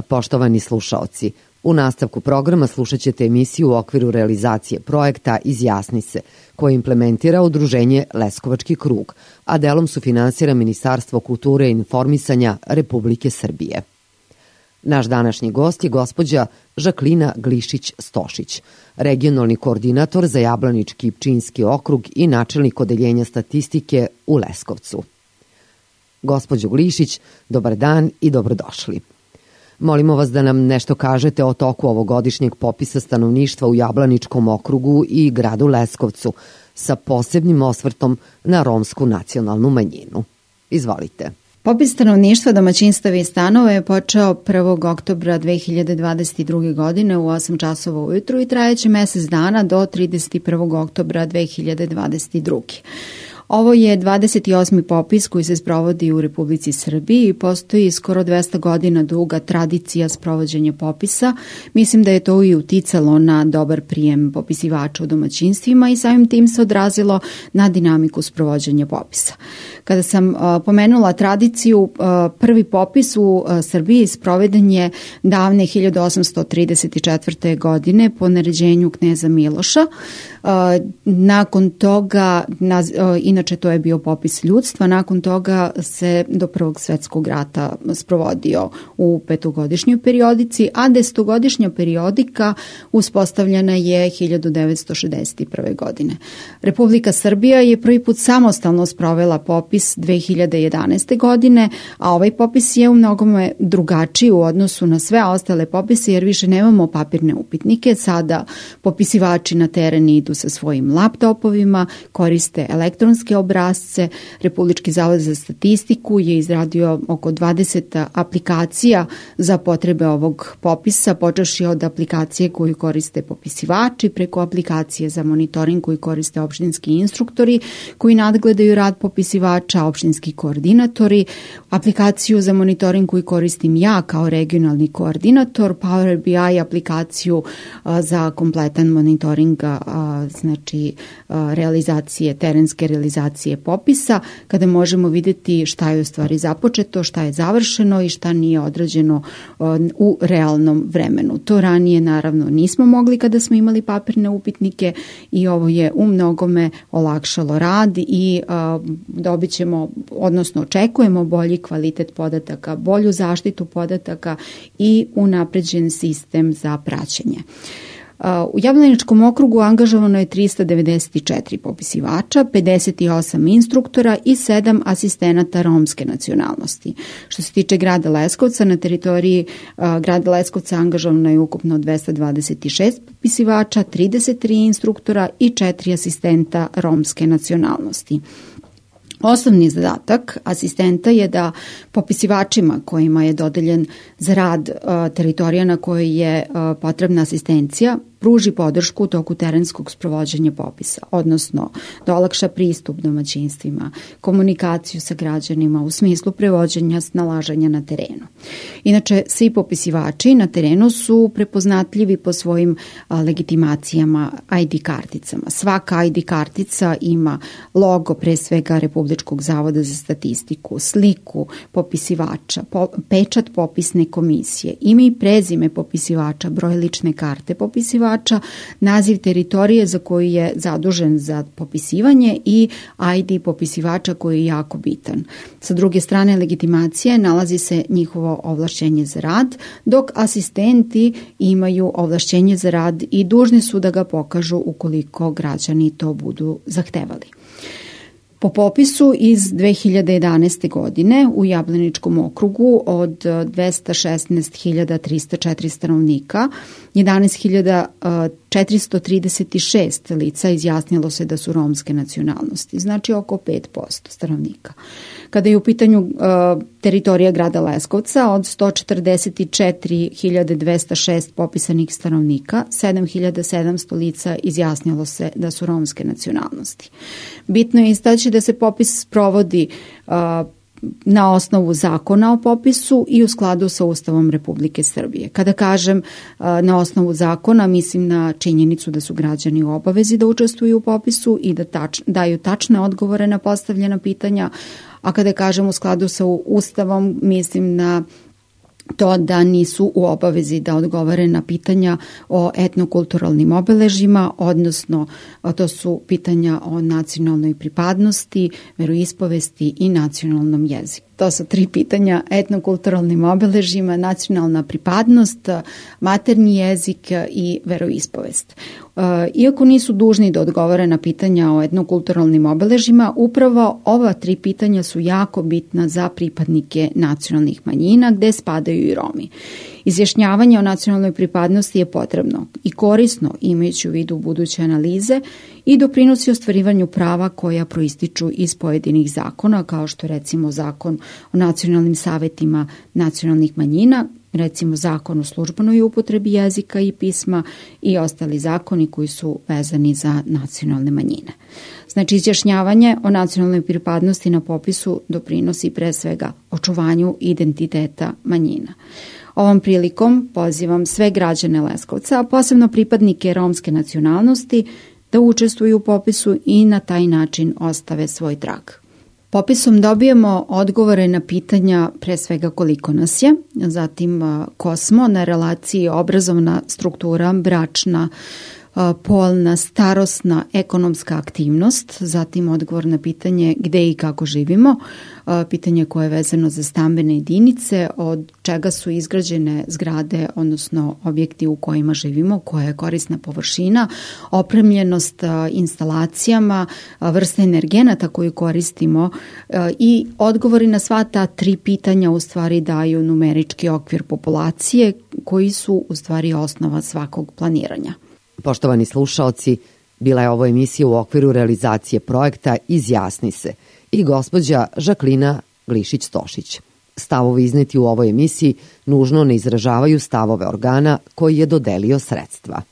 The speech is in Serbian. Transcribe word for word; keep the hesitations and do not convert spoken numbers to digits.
Poštovani slušaoci, u nastavku programa slušat ćete emisiju u okviru realizacije projekta Izjasni se, koje implementira Udruženje Leskovački krug, a delom sufinansira Ministarstvo kulture i informisanja Republike Srbije. Naš današnji gost je gospođa Žaklina Glišić-Stošić, regionalni koordinator za Jablanički i Pčinjski okrug i načelnik odeljenja statistike u Leskovcu. Gospođo Glišić, dobar dan i dobrodošli. Molimo vas da nam nešto kažete o toku ovogodišnjeg popisa stanovništva u Jablaničkom okrugu i gradu Leskovcu sa posebnim osvrtom na romsku nacionalnu manjinu. Izvolite. Popis stanovništva, domaćinstava i stanova je počeo prvog oktobra dve hiljade dvadeset druge. godine u osam časova ujutru i trajeće mesec dana do trideset prvog oktobra dve hiljade dvadeset druge. Ovo je dvadeset osmi popis koji se sprovodi u Republici Srbiji i postoji skoro dvesta godina duga tradicija sprovođenja popisa. Mislim da je to i uticalo na dobar prijem popisivača u domaćinstvima i samim tim se odrazilo na dinamiku sprovođenja popisa. Kada sam uh, pomenula tradiciju, uh, prvi popis u uh, Srbiji sproveden je davne hiljadu osamsto trideset četvrte. godine po naređenju kneza Miloša. Uh, nakon toga, na, uh, inače to je bio popis ljudstva, nakon toga se do Prvog svetskog rata sprovodio u petogodišnjoj periodici, a desetogodišnja periodika uspostavljena je hiljadu devetsto šezdeset prve. godine. Republika Srbija je prvi put samostalno sprovela popis dve hiljade jedanaeste. godine, a ovaj popis je u mnogome drugačiji u odnosu na sve ostale popise jer više nemamo papirne upitnike. Sada popisivači na teren idu sa svojim laptopovima, koriste elektronske obrazce. Republički zavod za statistiku je izradio oko dvadeset aplikacija za potrebe ovog popisa, počevši od aplikacije koju koriste popisivači, preko aplikacije za monitoring koju koriste opštinski instruktori koji nadgledaju rad popisivača, opštinski koordinatori, aplikaciju za monitoring koju koristim ja kao regionalni koordinator, Power B I aplikaciju a, za kompletan monitoring a, znači a, realizacije, terenske realizacije popisa, kada možemo vidjeti šta je u stvari započeto, šta je završeno i šta nije odrađeno a, u realnom vremenu. To ranije naravno nismo mogli kada smo imali papirne upitnike i ovo je u mnogome olakšalo rad i a, dobit ćemo, odnosno očekujemo bolji kvalitet podataka, bolju zaštitu podataka i unapređen sistem za praćenje. U Jablaničkom okrugu angažovano je trista devedeset četiri popisivača, pedeset osam instruktora i sedam asistenata romske nacionalnosti. Što se tiče grada Leskovca, na teritoriji uh, grada Leskovca angažovano je ukupno dvesta dvadeset šest popisivača, trideset tri instruktora i četiri asistenta romske nacionalnosti. Osnovni zadatak asistenta je da popisivačima kojima je dodeljen za rad uh, teritorija na kojoj je uh, potrebna asistencija pruži podršku u toku terenskog sprovođenja popisa, odnosno da olakša pristup domaćinstvima, komunikaciju sa građanima u smislu prevođenja snalaženja na terenu. Inače, svi popisivači na terenu su prepoznatljivi po svojim a, legitimacijama I D karticama. Svaka I D kartica ima logo pre svega Republičkog zavoda za statistiku, sliku popisivača, po, pečat popisne komisije, ime i prezime popisivača, broj lične karte popisivača, naziv teritorije za koju je zadužen za popisivanje i I D popisivača koji je jako bitan. Sa druge strane legitimacije nalazi se njihovo ovlašćenje za rad, dok asistenti imaju ovlašćenje za rad i dužni su da ga pokažu ukoliko građani to budu zahtevali. Po popisu iz dve hiljade jedanaeste. godine u Jablaničkom okrugu od dvesta šesnaest hiljada trista četiri stanovnika, jedanaest hiljada četiristo trideset šest lica izjasnilo se da su romske nacionalnosti, znači oko pet posto stanovnika. Kada je u pitanju uh, teritorija grada Leskovca, od sto četrdeset četiri hiljade dvesta šest popisanih stanovnika, sedam hiljada sedamsto lica izjasnilo se da su romske nacionalnosti. Bitno je istaći da se popis sprovodi uh, na osnovu zakona o popisu i u skladu sa Ustavom Republike Srbije. Kada kažem na osnovu zakona, mislim na činjenicu da su građani u obavezi da učestvuju u popisu i da tač, daju tačne odgovore na postavljena pitanja, a kada kažem u skladu sa Ustavom, mislim na to da nisu u obavezi da odgovore na pitanja o etnokulturalnim obeležjima, odnosno to su pitanja o nacionalnoj pripadnosti, veroispovesti i nacionalnom jeziku. To su tri pitanja: etnokulturalnim obeležjima, nacionalna pripadnost, maternji jezik i veroispovest. Iako nisu dužni da odgovore na pitanja o etnokulturalnim obeležjima, upravo ova tri pitanja su jako bitna za pripadnike nacionalnih manjina, gde spadaju i Romi. Izjašnjavanje o nacionalnoj pripadnosti je potrebno i korisno, imajući u vidu buduće analize, i doprinosi ostvarivanju prava koja proističu iz pojedinih zakona, kao što recimo Zakon o nacionalnim savetima nacionalnih manjina, recimo Zakon o službenoj upotrebi jezika i pisma i ostali zakoni koji su vezani za nacionalne manjine. Znači, izjašnjavanje o nacionalnoj pripadnosti na popisu doprinosi pre svega očuvanju identiteta manjina. Ovom prilikom pozivam sve građane Leskovca, a posebno pripadnike romske nacionalnosti, da učestvuju u popisu i na taj način ostave svoj trag. Popisom dobijemo odgovore na pitanja pre svega koliko nas je, zatim ko smo na relaciji obrazovna struktura, bračna, polna, starosna, ekonomska aktivnost, zatim odgovor na pitanje gde i kako živimo, pitanje koje je vezano za stambene jedinice, od čega su izgrađene zgrade, odnosno objekti u kojima živimo, koja je korisna površina, opremljenost instalacijama, vrsta energenata koju koristimo i odgovori na sva ta tri pitanja u stvari daju numerički okvir populacije koji su u stvari osnova svakog planiranja. Poštovani slušaoci, bila je ovo emisija u okviru realizacije projekta Izjasni se i gospođa Žaklina Glišić-Stošić. Stavovi izneti u ovoj emisiji nužno ne izražavaju stavove organa koji je dodelio sredstva.